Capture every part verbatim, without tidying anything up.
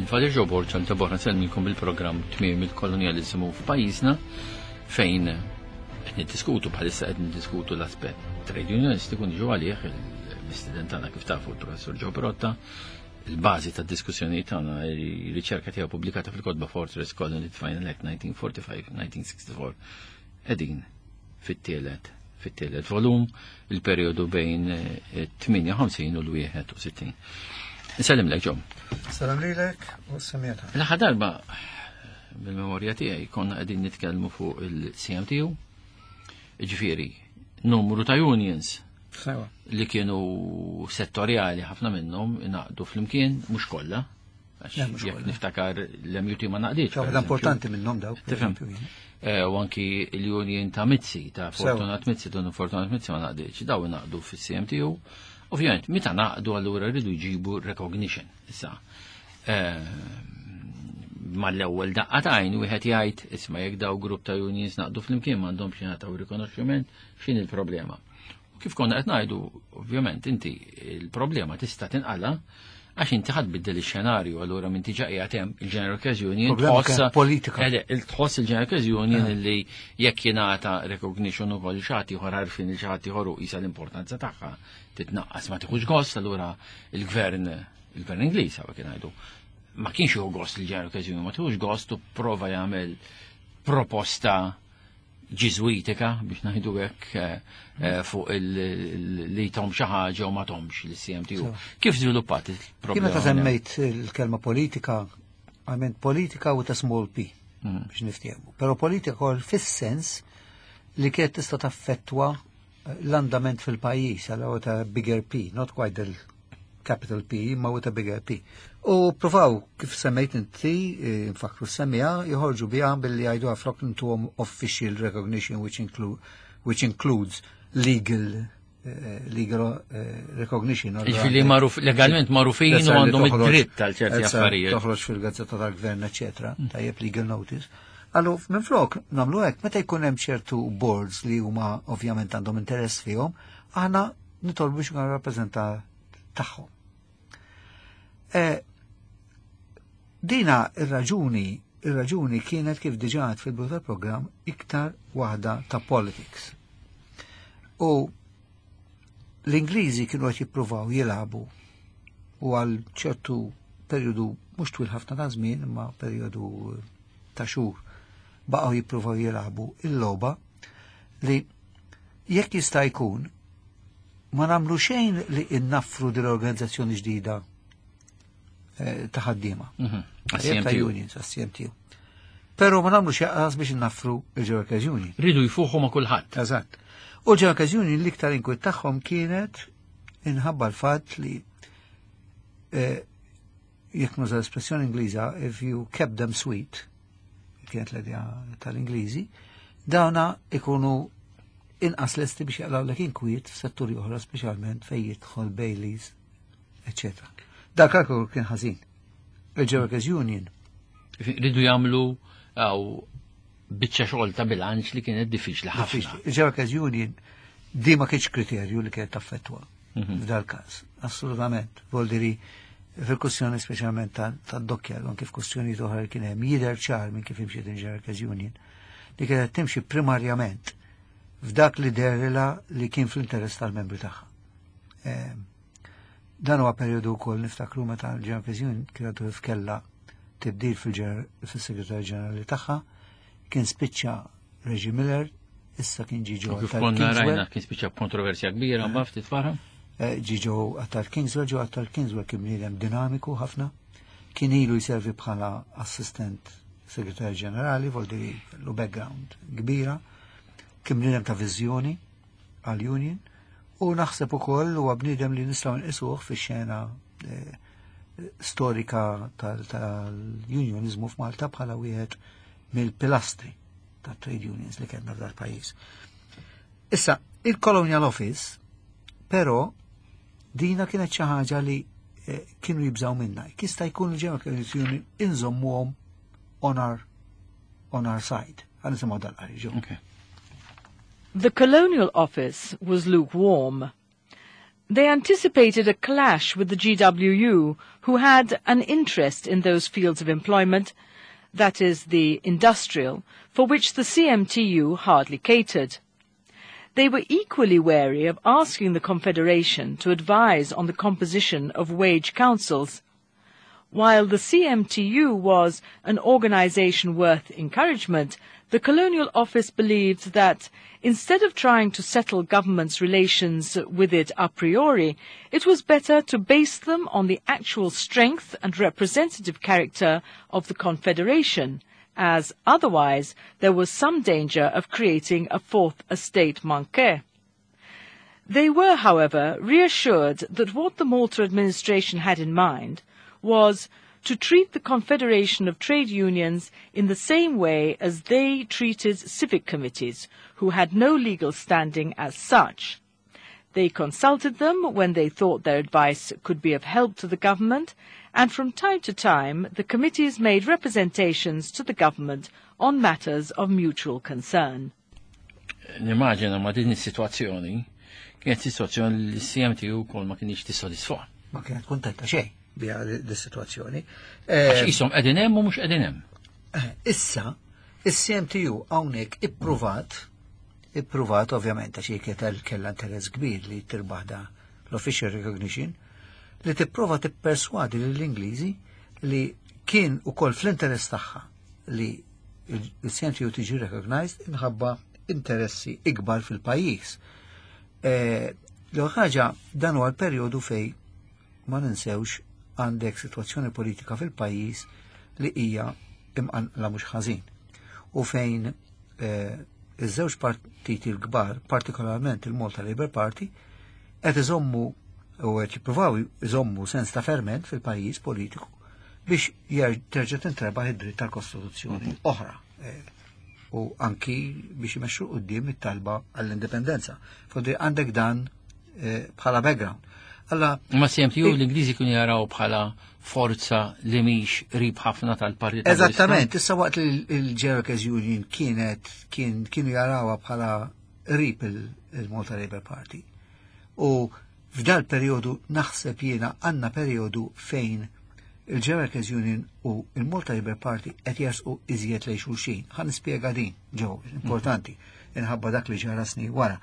Father Joe Borg għal darb'oħra nsellmilkom bil-programm Tmiem il-Kolonjaliżmu f'pajjiżna fejn qed niddiskutu bħalissa qed niddiskutu l-aspett trade unionistiku niġu għalih il-mistieden tagħna kif tafu l-professor Joe Pirotta il-bażi tad-diskussjoni tagħna riċerka tiegħu pubblikata fil-kotba Fortress Colony Final Act nineteen forty-five nineteen sixty-four qegħdin fit-tielet fit-tielet volum il-perjodu bejn tmienja u ħamsin u l-wieħed u sittin. Nsellimlek Joe. Salam lilek u semmieta. L-aħħar darba bil-memorja tiegħi konna qegħdin nitkellmu fuq il-C M T U, ġifieri numru ta' unions Sewa. li kienu settorjali ħafna minnhom ingħaqdu flimkien, mhux kollha. Għax Le, mhux jekk kollha. niftakar l-M U T ma ngħaqditx. Per Waħda eżempju. Importanti minnhom dawk. Tifhem. Eh, U anki l-union ta' Mizzi, ta' Sewa. Fortunat Mizzi, Don Fortunat Mizzi ma ngħaqditx. Daw ingħaqdu fis-C M T U. Ovvjament, meta ngħaqdu allura rridu jġibu recognition. Issa, eh, mal-ewwel daqqa t'għajn wieħed jgħid isma' jekk daw grupp ta' unions ngħaqdu flimkien m'għandhomx jingħataw rikonoxximent, x'in il-problema? U kif konna qed ngħidu, ovvjament inti il-problema tista' tinqala għax inti ħa tbiddel ix-xenarju allura minn tiġa qiegħed hemm il-General Workers Union Problema tħoss kienet politika. Eh, il tħoss il-General Workers Union li jekk jingħata recognition ukoll xi ħadd ieħor għarfien il xi ħadd ieħor u qisha l-importanza tagħha titnaqqas ma tieħux gost allura il-gvern il-gvern Ingliż hawn kien ngħidu ma kienx jieħu gost il-General Workers Union ma tieħux gost u prova jagħmel proposta ġiżwitika biex ngħidu hekk eh, eh, fuq il- il- li tom xi ħaġa u ma tomx l-C M T U. Kif żviluppat Kif il-problema? meta semmejt il-kelma politika, għament politika with a small p, Mm. biex niftehmu. Pero politika kol fis-sens li kienet tista' taffettwa l-andament fil-pajjiż, għal with a bigger P, not quite the capital P, ma with a bigger P. U provaw, kif semmejt inti, eh, nfakru semmija, joħorġu biha billi jgħidu flok intuhom official recognition which, include, which includes legal eh, legal eh, recognition. Ġifieri magħruf, legalment magħrufin u għandhom id-dritt għal ċerti affarijiet. Toħroġ fil-gazzetta tal-gvern, eccetera, tajjeb legal notice. Allu, minn flok, nagħmlu hekk, meta jkun hemm ċertu boards li huma ovvjament għandhom interess fihom, aħna nitolbu biex nkunu rappreżentat tagħhom. E, dina ir-raġuni, ir-raġuni kienet kif diġà għedt fil-bidu tal-programm iktar waħda ta' politics. U l-Ingliżi kienu qed jippruvaw jilagħbu u għal ċertu periodu mhux twil ħafna ta' żmien imma periodu ta' xhur baqgħu jippruvaw jilagħbu il-logħba li jekk jista' jkun ma nagħmlu xejn li innaffru din l-organizzazzjoni ġdida eh, ta' ħaddiema. Mhm. Ta' C M T U. unions, għas-C M T U. Pero ma nagħmlu xejn biex innaffru il-Workers Union. Ridu jfuħu ma' kulħadd. Eżatt. U l-Workers Union l-iktar inkwiet tagħhom kienet inħabba l-fatt li eh, jekk nuża l-espressjoni Ingliża, if you kept them sweet, kienet l-idea tal-Ingliżi, dawna ikunu inqas lesti biex jaqlgħu inkwiet f'setturi oħra, speċjalment fejn jidħol Baileys, eċċetera. Dak kalkolu kien ħażin. Il-Workers Union Ridu jagħmlu għaw biċċa xogħol ta' bilanċ li kienet diffiċli ħafna. Il-Workers Union di ma kienx kriterju li kienet taffettwa Mhm. f'dal każ. Assolutament. Voldiri fil-kwestjoni speċjalment ta' dokkja, anke f'kwestjoni oħra li kien hemm jidher ċar minn kif imxiet il-Workers Union li kienet timxi primarjament f'dak li dehrilha li kien fl-interess tal-membri tagħha. Ehm, Dan huwa perjodu wkoll niftakru meta l-Workers Union kienet f'kella tibdil fil-segretarju ġenerali tagħha, kien spiċċa Reggie Miller, issa kien ġie Joe U kif Attard konna Kingswell. rajna kien spiċċa kontroversja kbira mbagħad ftit wara. Eh, ġie Joe Attard Kingswell, Joe Attard Kingswell kien bniedem dinamiku ħafna, kien ilu jservi bħala assistent segretarju ġenerali, voldiri kellu background kbira, kien bniedem ta' viżjoni għal-union, u naħseb ukoll huwa bniedem li nistgħu nqisuh fix-xena eh, storika tal- tal-unionizmu f'Malta bħala wieħed mill-pilastri ta' trade unions li kellna f'dal pajjiż. Issa, il-Colonial Office, però, dina kienet xi ħaġa li eh, kienu jibżaw minna. Jista' jkun il-General Union inżommuhom on our, on our side. Ħa nisimgħu dal-qari Joe. Okay. The Colonial Office was lukewarm. They anticipated a clash with the G W U, who had an interest in those fields of employment, that is, the industrial, for which the C M T U hardly catered. They were equally wary of asking the Confederation to advise on the composition of wage councils. While the C M T U was an organization worth encouragement, the Colonial Office believed that instead of trying to settle government's relations with it a priori, it was better to base them on the actual strength and representative character of the Confederation, as otherwise there was some danger of creating a fourth estate manqué. They were, however, reassured that what the Malta administration had in mind was to treat the Confederation of Trade Unions in the same way as they treated civic committees, who had no legal standing as such. They consulted them when they thought their advice could be of help to the government, and from time to time the committees made representations to the government on matters of mutual concern. Nimmaġina ma din is-sitwazzjoni kienet sitwazzjoni li C M T U kol ma kienx tissodisfa. Ma kienet kontenta xejn biha dis-sitwazzjoni. Għax qishom qegħdin hemm u mhux qegħdin hemm. Eh, issa, is-C M T U hawnhekk ippruvat, ippruvat ovvjament għax kienet kellha interess kbir li tirbaħ da l-official recognition, li tipprova tipperswadi lill-Ingliżi li kien ukoll fl-interess tagħha li il-C M T U tiġi recognized inħabba interessi ikbar fil-pajjiż. Eh, l ħaġa, dan huwa l-perjodu fej ma ninsewx għandek situazzjoni politika fil-pajjiż li hija imqanqla mhux ħażin. U fejn eh, iż-żewġ partiti l-kbar, partikolarment il-Malta Labour Party, qed iżommu u qed jippruvaw iżommu sens ta' ferment fil-pajjiż politiku biex terġa' tintrebaħ id-dritt tal-Kostituzzjoni mhm. oħra eh, u anki biex imexxu quddiem it-talba għall-indipendenza. Fodri għandek dan eh, bħala background. Alla, ma C M T U l-Ingliżi kienu jaraw bħala forza li mhix qrib ħafna tal-partit. Eżattament, issa waqt li il-General Union kienet kien kienu jarawha bħala qrib il-Malta Labour Party. U f'dal periodu naħseb jiena għandna periodu fejn il-General Union u il-Malta Labour Party qed jersqu iżjed lejn xulxin. Ħa nispjega din ġew importanti inħabba dak li ġara snin wara.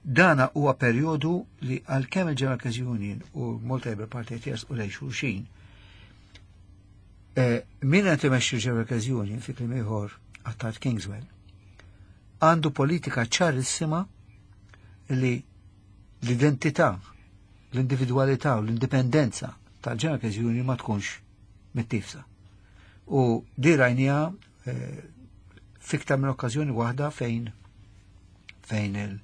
Dana huwa perjodu li għalkemm il-General Workers Union u Malta Labour Party qed jersqu lejn xulxin, eh, min qed imexxi il-General Workers Union, fi kliem ieħor Attard Kingswell, għandu politika ċarissima li l-identità, l-individualità u l-indipendenza tal-General Workers Union ma tkunx mittifsa. U di rajnieha eh, fiktar minn okkażjoni waħda fejn fejn il-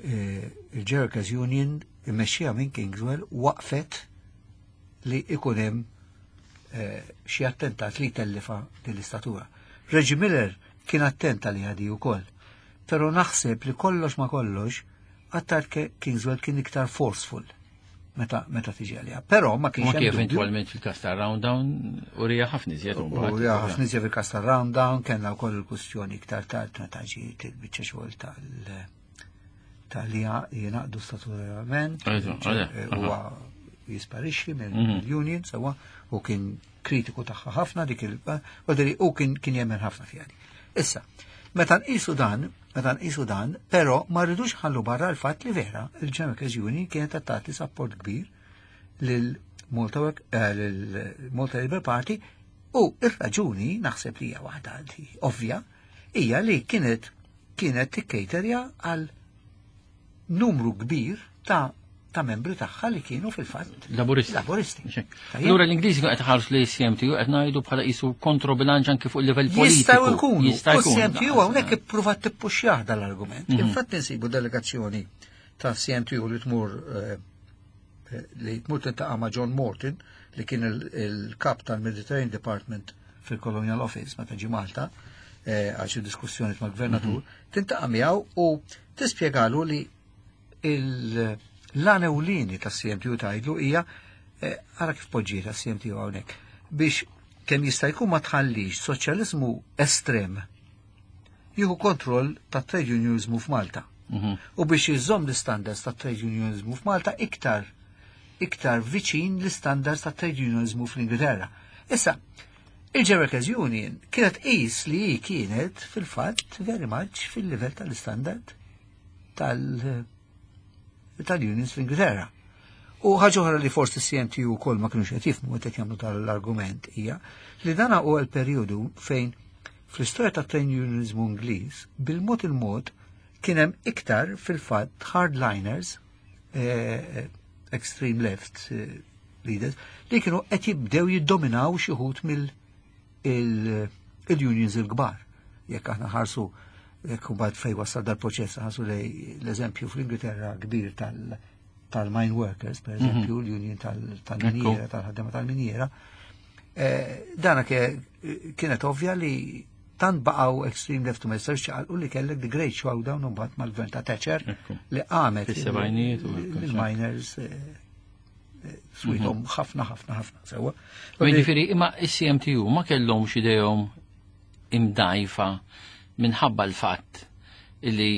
eh, il-General Workers Union immexxija minn Kingswell waqfet li ikun hemm eh, xi attentat li tellifa lill-istatura. Reggie Miller kien attenta li għadi wkoll. Però naħseb li kollox ma kollox Attard Kingswell kien iktar forceful meta meta tiġi għalija. Però ma kienx Ma hemm kif dubju. eventwalment fil-kas ta' Rounddown urija ħafna iżjed U ja, ħafna iżjed fil-kas ta' Rounddown, kellna wkoll il-kwistjoni iktar tard meta ġiet il-biċċa xogħol tal tal-li jingħaqdu statutorjament, huwa jisparixxi mill-union sewwa u kien kritiku tagħha ħafna dik il u kien kien jemmen ħafna fiha. Issa, meta nqisu dan, meta nqisu dan, però ma rridux ħallu barra l-fatt li vera il-General Workers Union kienet tagħti support kbir lil Malta Work- eh, lil Malta Labour Party u ir-raġuni naħseb li hija waħda li ovvja hija li kienet kienet tikkejterja għal numru kbir ta' ta' membri tagħha li kienu fil-fatt Laburisti. Laburisti. Tajjeb? Allura l-Ingliżi qed ħarsu li C M T U qed ngħidu bħala qisu kontrobilanċ anke fuq il-livell politiku. Jistgħu jkunu. Jista' U jkun. C M T U hawnhekk ippruvat tippuxjah dal-argument. Infatti nsibu delegazzjoni ta' C M T U li tmur eh, eh, li tmur tintaqa' ma' John Morton li kien il- il-kap tal-Mediterranean Department fil-Colonial Office meta ġi Malta eh, għal xi diskussjoni mal-gvernatur, tintaqa' miegħu u tispjegalu li l-għan ewlieni ta' C M T U tgħidlu hija eh, ara kif poġġiet ta' C M T U hawnhekk biex kemm jista' jkun ma tħallix soċjaliżmu estrem jieħu kontroll ta' trade unionizmu f'Malta. U biex jiżomm l-standards ta' trade unionizmu f'Malta iktar iktar viċin l-standards ta' trade unionizmu fl-Ingilterra. Issa, il-Workers Union kienet qis li hi kienet fil-fatt very much fil-livell tal-standard tal- tal-unions fl-Ingilterra. U ħaġa oħra li forsi C M T U wkoll ma kienux qed jifhmu meta jagħmlu tal-argument hija li dana huwa l-perjodu fejn fl-istorja ta' trade unionizmu Ingliż bil-mod il-mod kien hemm iktar fil-fatt hardliners, eh, extreme left eh, leaders, li kienu qed jibdew jiddominaw xi wħud mill il-unions il-kbar. Jekk aħna ħarsu, jekk mbagħad fej wasal dal-proċess ħarsu lej l-eżempju fl-Ingilterra kbir tal- tal-mine workers, per eżempju, l-union tal-miniera, tal-ħaddema tal-miniera, eh, dana kienet ovvja li tant baqgħu extreme left u ma jistgħux ċaqalqu li kellek the great showdown mbagħad mal-gvern ta' Thatcher li qamet il-miners eh, eh, swithom ħafna ħafna ħafna sewwa. Jiġifieri imma is-C M T U ma kellhomx idejhom imdajfa minħabba l-fatt li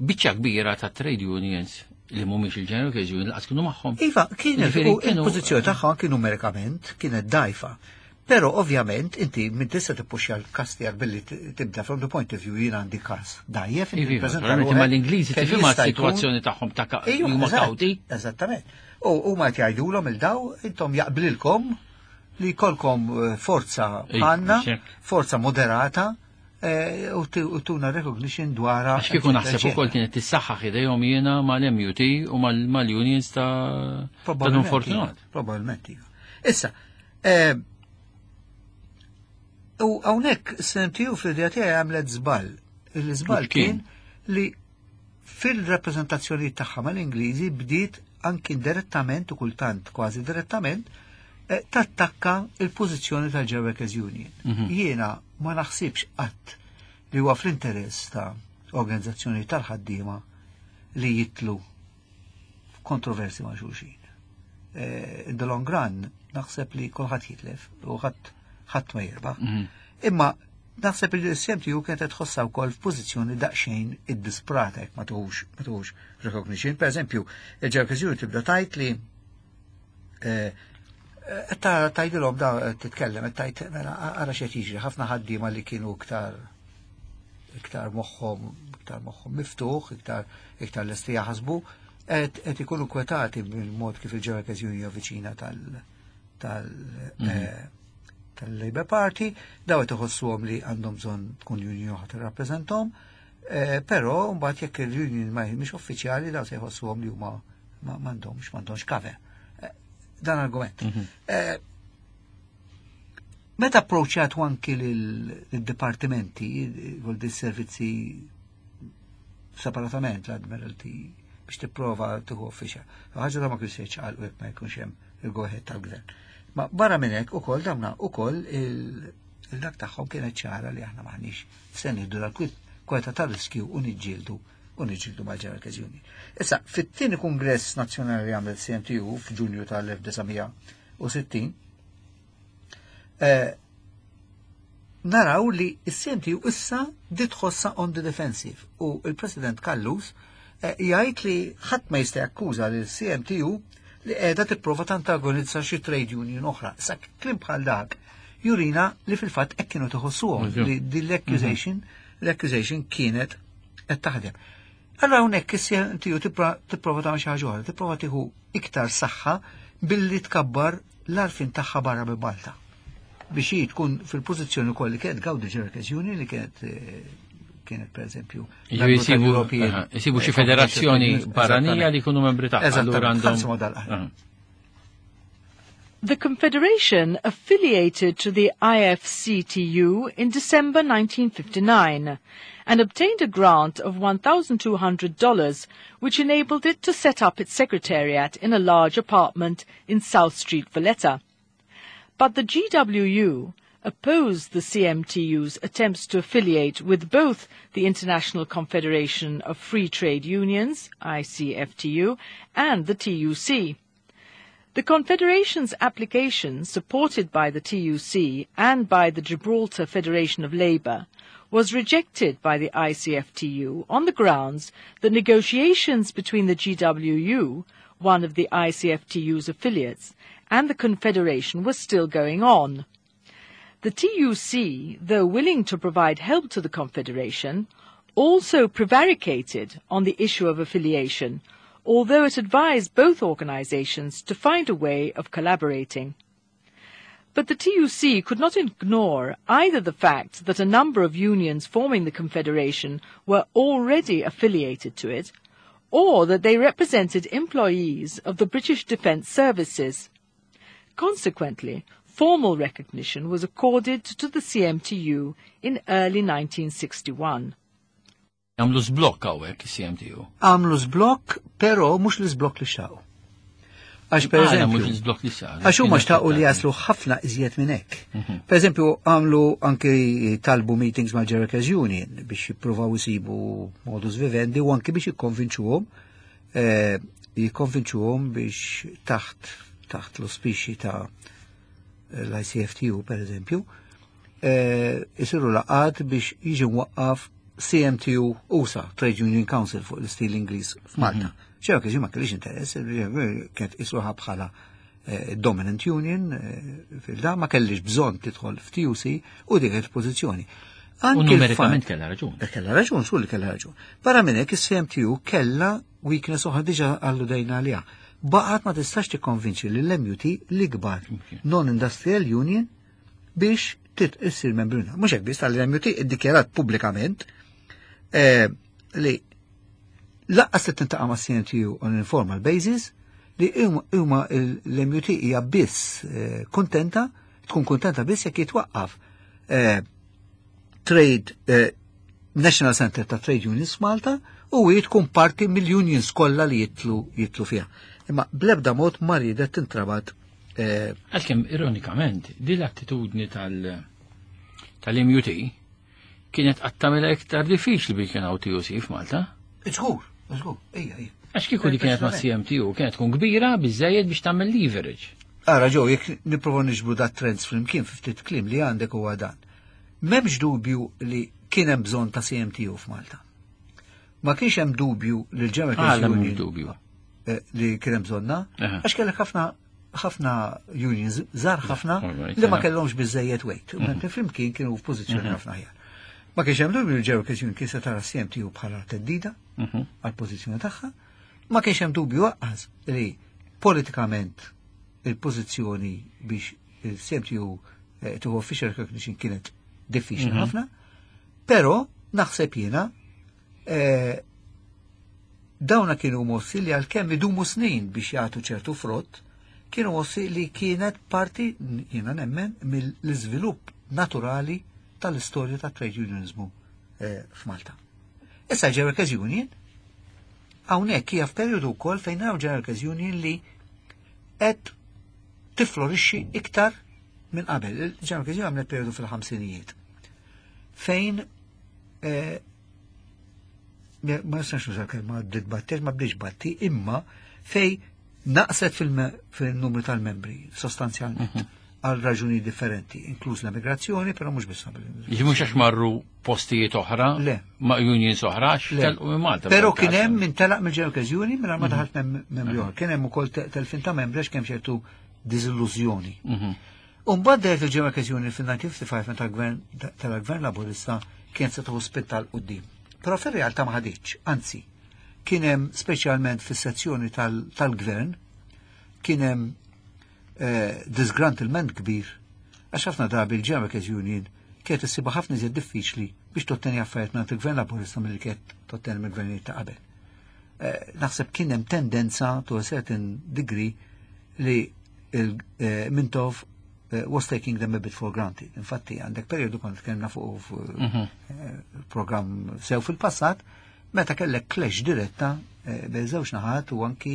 biċċa kbira ta' trade unions li mhumiex il-General Workers Union laqas kienu magħhom. Iva, kienet il-pożizzjoni tagħhom kienu numerikament kienet dajfa. Pero ovvjament inti minn tista' tippuxja l-kas tiegħek billi tibda from the point of view jien għandi kas dajjef. Iva, imma l-Ingliżi tifhimha s-sitwazzjoni tagħhom ta' huma kawti. Eżattament. U huma qed jgħidulhom il-daw intom jaqblilkom li jkollkom eh, forza għandna, forza moderata eh, u tuna recognition dwar. Għax kieku naħseb ukoll kienet tissaħħaħ idejhom jiena mal-M U T u mal-unions ta' Dun Fortunat. Probabilment. Iva. Issa, eh, u hawnhekk C M T U fl-idea tiegħi għamlet żball. Il-żball kien li fil-rappreżentazzjoni tagħha mal-Ingliżi bdiet anki direttament u kultant kważi direttament eh, tattakka il-pożizzjoni tal-Workers Union. Mhm. Jiena ma naħsibx qatt li huwa fl-interess ta' organizzazzjoni tal-ħaddiema li jitlu kontroversi ma' xulxin. Eh, in the long run, naħseb li kulħadd jitlef u ħadd ħadd ma jirbaħ. Mhm. Imma naħseb li l-C M T U kienet tħossha wkoll f'pożizzjoni daqsxejn iddisprata jekk ma tuħux ma tuħux recognition. Per eżempju, il-Ġerkizjoni tibda tajt li eh, ta' tajdilhom da titkellem, tajt mela ara x'qed jiġri, ħafna ħaddiema li kienu iktar iktar moħħhom iktar moħħhom miftuħ, iktar iktar lesti jaħsbu, qed ikunu kwetati bil-mod kif il-Workers Union viċina tal tal mhm. eh, tal-Labour Party, daw qed iħossuhom li għandhom bżonn tkun union oħra tirrappreżentahom, eh, però mbagħad jekk il-union ma mhix uffiċjali daw se jħossuhom li huma m'għandhomx m'għandhomx cover. Eh, dan argument. Mhm. Meta approċċjat anki l-dipartimenti, vuol servizzi separatament l-Admiralty biex tipprova tieħu uffiċja. Ħaġa da ma kienx jgħal ma jkunx hemm il-go-ahead tal-gvern. Ma barra minn hekk ukoll damna ukoll il-dak tagħhom kienet ċara li aħna maħniex se nieħdu dal-kweta tal-riskju u niġġieldu u niġġieldu mal-Workers Union. Issa, fit-tieni kongress nazzjonali li għamlet C M T U f'Ġunju tal-elf disa' mija u sittin, eh, naraw li s-C M T U issa tħossha on the defensive u il-President Callus eh, jgħid li ħadd ma jista' jakkuża lil C M T U li qiegħda tipprova tantagonizza xi trade union oħra. Sa kliem bħal dak jurina li fil-fatt hekk kienu tħossuhom li din l-accusation l-accusation kienet qed taħdem. Allora hawnhekk is-C M T U tipprova tagħmel xi ħaġa oħra, tipprova tieħu iktar saħħa billi tkabbar l-għarfien tagħha barra minn Malta. Biex hi tkun fil-pożizzjoni wkoll li kienet gawdi Workers Union li kienet eh, kienet per eżempju. Jisibu xi federazzjoni barranija li jkunu membri tagħha. Eżattament. The Confederation affiliated to the I F C T U in December nineteen fifty-nine and obtained a grant of one thousand two hundred dollars, which enabled it to set up its secretariat in a large apartment in South Street, Valletta. But the G W U opposed the C M T U's attempts to affiliate with both the International Confederation of Free Trade Unions, I C F T U, and the T U C. The Confederation's application, supported by the T U C and by the Gibraltar Federation of Labour, was rejected by the I C F T U on the grounds that negotiations between the G W U, one of the I C F T U's affiliates, and the Confederation was still going on. The T U C, though willing to provide help to the Confederation, also prevaricated on the issue of affiliation, although it advised both organizations to find a way of collaborating. But the T U C could not ignore either the fact that a number of unions forming the Confederation were already affiliated to it, or that they represented employees of the British Defence Services. Consequently, formal recognition was accorded to the C M T U in early nineteen sixty-one. Għamlu żblokk hawnhekk C M T U. Għamlu żblokk, però mhux l-iżblokk li xtaqu. Għax per Għala mhux eżempju, l-iżblokk li xtaqu? Għax huma xtaqu li jaslu ħafna iżjed minn hekk. Per eżempju, għamlu anki talbu meetings ma' Workers Union biex jippruvaw isibu modus vivendi u anki biex jikkonvinċuhom eh, jikkonvinċuhom biex taħt taħt l-auspiċi ta' l-I C F T U per eżempju, eh, isiru laqgħat biex jiġi mwaqqaf C M T U usa, Trade Union Council fuq l-istil Ingliż f'Malta. ċew kiex ma kellix interess, kienet isuħa bħala eh, dominant union eh, fil-da ma kellix bżonn tidħol f'T U C u dik il-pożizzjoni. U Anki numerikament il-fatt- kellha raġun. Eh, Kellha raġun, su li kellha raġun. Barra minn hekk is-C M T U kellha weakness oħra diġà alludejna għaliha. Baqgħet ma tistax tikkonvinċi lill-M U T, l-ikbar non-industrial union, biex tit issir membru. Mhux hekk biss, tal-M U T iddikjarat pubblikament eh, li lanqas se tintaqa' ma' C M T U on informal basis, li huma- huma l-M U T hija biss eh, kontenta, tkun kontenta biss jekk jitwaqqaf eh, Trade eh, National Center ta' Trade Unions Malta u hi tkun parti mill-unions kollha li jitlu jitlu fiha. Imma blebda mod ma riedet tintrabat eh, Għalkemm ironikament, din l-attitudni tal- tal-M U T kienet qed tagħmilha iktar diffiċli biex kien hawn T U C f'Malta. Żgur, żgur, ejja, ejja. Għax kieku li kienet ma' C M T U kienet tkun kbira biżejjed biex tagħmel leverage. Ara ġew, jekk nipprova niġbru dat trends flimkien fi ftit kliem li għandek huwa dan. M'hemmx dubju li kien hemm bżonn ta' C M T U f'Malta. Ma kienx hemm dubju li l-General Għala mhux Union dubju? eh, li kien hemm bżonna, Aha. għax kellek ħafna ħafna unions żgħar ħafna Alright, li ma aha. kellhomx biżejjed weight. Mentre flimkien kienu f'pożizzjoni ħafna aħjar. Ma kienx hemm dubju li l-General Union kien se tara C M T U bħala theddida Mhm. għal-pożizzjoni tagħha. Ma kienx hemm dubju lanqas li politikament il-pożizzjoni biex il-C M T U eh, tieħu official recognition kienet diffiċli ħafna, però naħseb jiena eh, dawna kienu mossi li għalkemm idumu snin biex jagħtu ċertu frott, kienu mossi li kienet parti, jiena nemmen, mill-iżvilupp naturali tal-istorja ta' trade unionismu eh, f'Malta. Issa General Workers Union, hawnhekk hija f'perjodu wkoll fejn naraw General Workers Union li qed tiflorixxi iktar minn qabel. Il-General Workers Union għamlet perjodu fil-ħamsinijiet fejn eh, ma nistax nuża kelma bdiet, ma bdietx batti, imma fej naqset fil-numru tal-membri sostanzjalment għal raġuni differenti, inkluż l-emigrazzjoni, però mhux biss. Jiġi mhux għax marru postijiet oħra, Le. ma' unions oħra, għax Le. telqu minn Malta. Però fil-każ. kien hemm min telaq mill-General Workers Union minn ma daħalt mem- membri oħra. Kien hemm ukoll te- telfin ta' membri għax kemm ċertu diżillużjoni. Mhm. U mbagħad dehret il-General Workers Union fil-elf disa' mija u ħamsa u ħamsin meta l-gvern tal-gvern Laburista kien se tieħu spinta 'l quddiem. Però fir-realtà ma ħaditx, anzi, kien hemm speċjalment fis-sezzjoni tal- tal-gvern kien hemm eh, disgruntlement kbir għax ħafna drabi il-General Workers Union kienet issibha ħafna iżjed diffiċli biex totteni affarijiet minn il-gvern Laburista milli kienet totteni mill-gvernijiet ta' qabel. Eh, Naħseb kien hemm tendenza to a certain degree li il-Mintoff eh, was taking them a bit for granted. Infatti għandek periodu kont tkellimna fuq fu- eh, program sew fil-passat, meta kellek clash diretta eh, bejn żewġ naħat u anki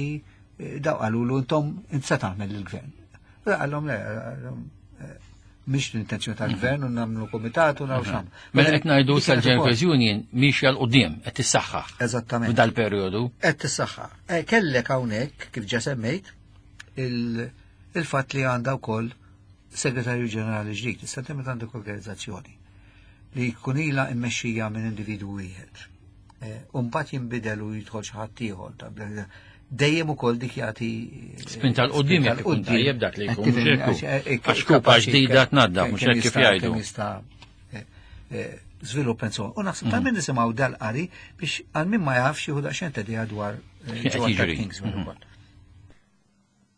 eh, daw qalulu intom int se tagħmel il-gvern. Qallhom le, qallhom, eh, mhix l-intenzjoni tal-gvern u nagħmlu komitat u nagħmlu x'nagħmlu. Mela qed ngħidu Dik kienet sal-General ukoll. Workers Union mixja 'l quddiem qed tissaħħaħ. Eżattament. F'dal perjodu. Qed tissaħħa. Eh, Kellek hawnhekk kif ġa semmejt il- il-fatt li għandha wkoll segretarju ġenerali ġdid. Issa inti meta għandek organizzazzjoni li jkun ilha mmexxija minn individwu wieħed. Eh, u mbagħad jinbidel u jidħol xi ħadd ieħor ta' bla- dejjem ukoll dik jagħti eh, Spinta 'l quddiem spinta jekk ikun 'l quddiem. tajjeb dak li jkun, Qed tifhem, mhux hekk hu. għax, eh, Għax kupa kapaċi ġdida kemm- tnaddaf, mhux kemm hekk kif jista'- jgħidu. kemm jista' eh, eh, żvilupp and so on. U naħseb ta' min nisimgħu dal-qari biex għal min ma jafx jieħu daqsxejn ta' idea dwar eh, X'qed Joe Attard jiġri. Kingswell Mhm. ukoll.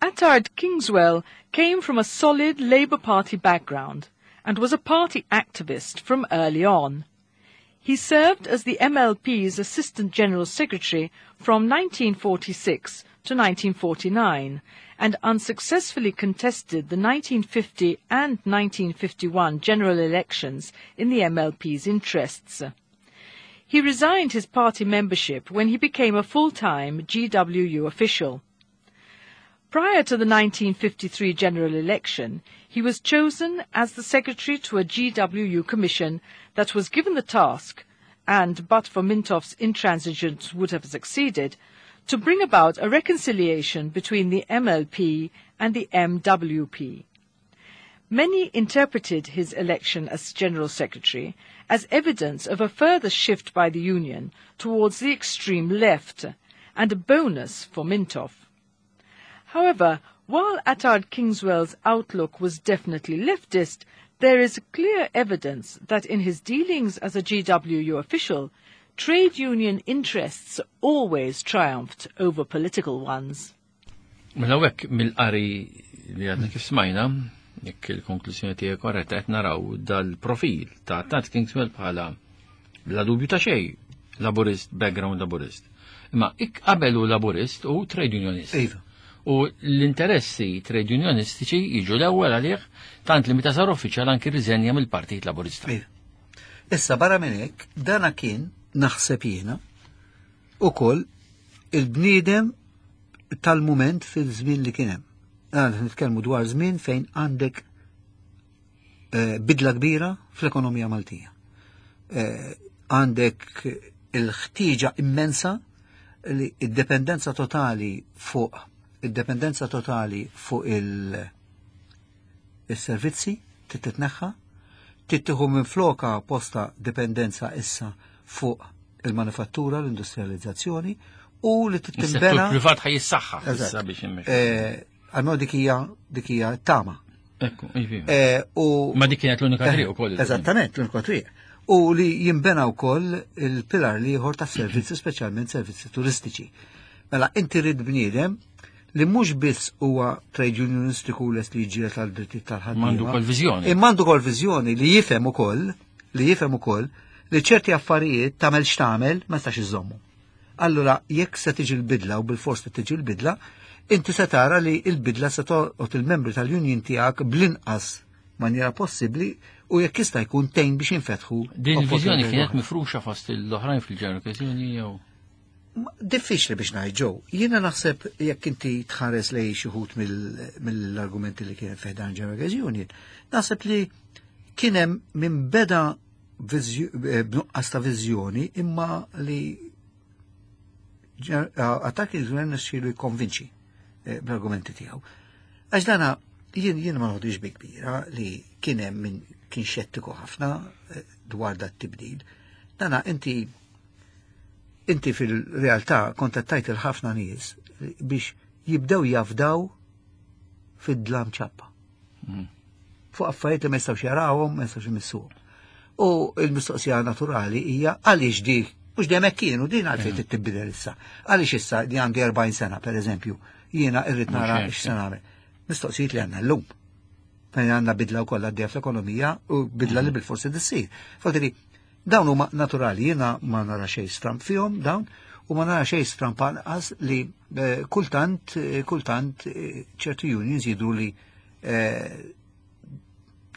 Attard Kingswell came from a solid Labour Party background and was a party activist from early on. He served as the M L P's Assistant General Secretary from nineteen forty-six to nineteen forty-nine and unsuccessfully contested the nineteen fifty and nineteen fifty-one general elections in the M L P's interests. He resigned his party membership when he became a full-time G W U official. Prior to the nineteen fifty-three general election, he was chosen as the secretary to a G W U commission that was given the task, and but for Mintoff's intransigence would have succeeded, to bring about a reconciliation between the M L P and the M W P. Many interpreted his election as General Secretary as evidence of a further shift by the union towards the extreme left and a bonus for Mintoff. However, while Attard Kingswell's outlook was definitely leftist, there is clear evidence that in his dealings as a G W U official, trade union interests always triumphed over political ones. Mela hekk mill-qari li għadna kif smajna, jekk il-konklużjoni tiegħek korretta, qed naraw dal-profil ta' Attard Kingswell bħala bla dubju ta' xejn laburist, background laburist. Imma ik qabel hu laburist u trade unionist. Iva. U l-interessi trade unionistiċi jiġu l-ewwel għalih, tant li meta sar uffiċjal anki riżenja mill-Partit Laburista. Iva. Issa barra minn hekk, dana kien naħseb jiena ukoll il-bniedem tal-mument fil-żmien li kien hemm. Għan nitkellmu dwar żmien fejn għandek eh, bidla kbira fl-ekonomija Maltija. Eh, Għandek il-ħtieġa immensa li id-dependenza totali fuq id-dependenza totali fuq il- il-servizzi titneħħa, tittieħu minn floka posta dipendenza issa fuq il-manifattura, l-industrializzazzjoni u li Is-settur tittimbena. privat ħa jissaħħa issa Eżatt. biex immexxu. Eh, Għalmenu dik hija dik hija tama. Ekku, iva. Eh, U Ma dik kienet l-unika triq ukoll. Eżattament, l-unika triq. U li jimbena wkoll il-pilar l-ieħor ta' servizzi, speċjalment servizzi turistiċi. Mela, inti rid bniedem li mhux biss huwa trade unionistiku lest li jiġġieled għal drittijiet tal-ħaddiema. M'għandu wkoll viżjoni. Imma għandu wkoll viżjoni li jifhem ukoll, li jifhem ukoll li ċerti affarijiet tagħmel x'tagħmel ma tistax iżommu. Allura, jekk se tiġi l-bidla u bil-fors se tiġi l-bidla, inti se tara li l-bidla se tolqot il-membri tal-union tiegħek bl-inqas maniera possibbli u jekk jista' jkun tgħin biex jinfetħu. Din il-viżjoni opportunitajiet kienet oħra. mifruxa fost l-oħrajn fil-General Union jew? Ma- Diffiċli biex ngħid ġew. Jiena naħseb jekk inti tħares lej xi wħud mill- mill-argumenti li kien fi ħdan General Union, naħseb li kien hemm min beda viżju- eh, b'nuqqas ta' viżjoni imma li Attard il-gvern nixxielu jikkonvinċi eh, bl-argumenti tiegħu. Għax dana jien jien ma noħodix bi kbira li kien hemm min kien xettiku ħafna eh, dwar dat tibdil. Dana inti inti fil-realtà kontattajt il-ħafna nies biex jibdew jafdaw fid-dlam ċappa. Fuq affarijiet li ma jistgħux jarawhom, ma jistgħux imissuhom. U l-mistoqsija naturali hija għaliex di mhux dejjem hekk kienu din għalfejn trid tibdel issa. Għaliex issa li għandi erbgħin sena, pereżempju, jiena irrid nara Mhux hekk. x'se nagħmel. Mistoqsijiet li għandna llum. Fejn għandna bidla wkoll għaddejja fl-ekonomija u bidla li bil-forsi ssir. Fotiri, dawn huma naturali, jiena ma nara xejn stramp fihom dawn u ma nara xejn stramp anqas li eh, kultant eh, kultant eh, ċertu unions jidru li eh,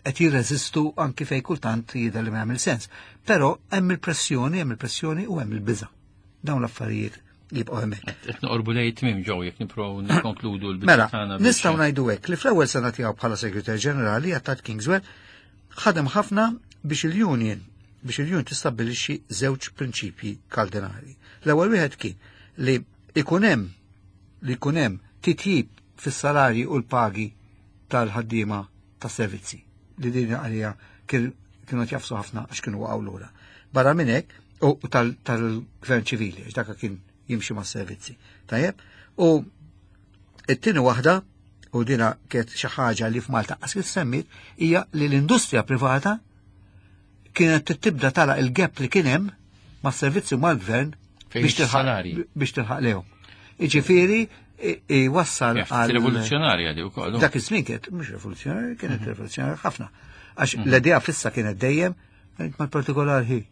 qed jirreżistu anki fej kultant jidher li ma jagħmel sens. Però hemm il-pressjoni, hemm il-pressjoni u hemm il-biża. Dawn l-affarijiet jibqgħu hemmhekk. Qed noqorbu lejn tmiem ġew jekk nipprovaw nikkonkludu l-biċċa Mela, tagħna biex- nistgħu ngħidu hekk li fl-ewwel sena tiegħu bħala Segretarju Ġenerali Attard Kingswell ħadem ħafna biex il-union biex il-union tistabbilixxi żewġ prinċipji kardinali. L-ewwel wieħed kien li ikun hemm li jkun hemm titjib fis-salarji u l-pagi tal-ħaddiema tas-servizzi li din għalija kien kienu jagħfsu ħafna għax kienu waqgħu lura. Barra minn hekk, u tal-gvern ċivili, għax dak kien jimxi ma' servizzi. Tajjeb, u it-tieni waħda, u dina kienet xi ħaġa li f'Malta qas semmit, hija li l-industrija privata kienet tibda tagħlaq il-gap li kien hemm mas-servizzi mal-gvern biex tilħaq biex tilħaq lehom. Iġifieri wassal għal rivoluzzjonarja di wkoll. Dak iż-żmien kienet mhux rivoluzzjonarja, kienet mhm. rivoluzzjonarja ħafna. Għax mhm. l-idea fissa kienet dejjem mal-partikolar hi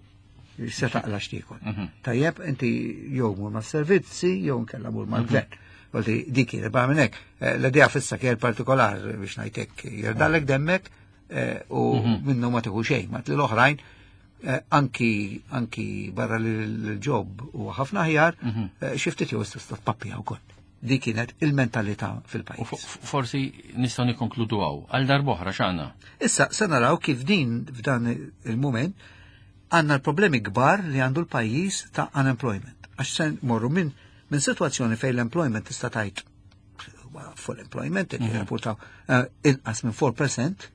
se taqla x'tiekol. Mhm. Tajjeb, inti jew mur mas-servizzi, jew nkella mur mal-gvern. Għalti dik kienet barra minn hekk. Eh, l-idea fissa kien partikolar biex ngħidlek jirdalek demmek eh, u minnu ma tieħu xejn, ma l-oħrajn eh, anki anki barra l-job u ħafna aħjar, xi ftit jew tista' tpappija wkoll. Dik kienet il-mentalità fil-pajjiż. Forsi nistgħu nikkonkludu hawn għal darb'oħra x'għandna. Issa se naraw kif din f'dan il-mument għandna l-problemi kbar li għandu l-pajjiż ta' unemployment. Għax se morru minn min situazzjoni fejn l-employment tista' tgħid full employment qed mhm. jirrapportaw eh, inqas minn erba' fil-mija,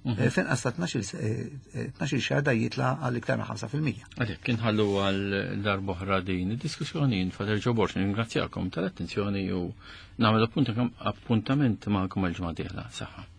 mhm. eh, finqas ta' tnax-il xahar da jitla għal iktar minn ħamsa fil-mija. Għalhekk inħallu għal darb'oħra din id-diskussjoni. Father Joe Borg, ringrazzjakom tal-attenzjoni u nagħmel appuntament magħkom għal ġimgħa dieħla. Saħħa.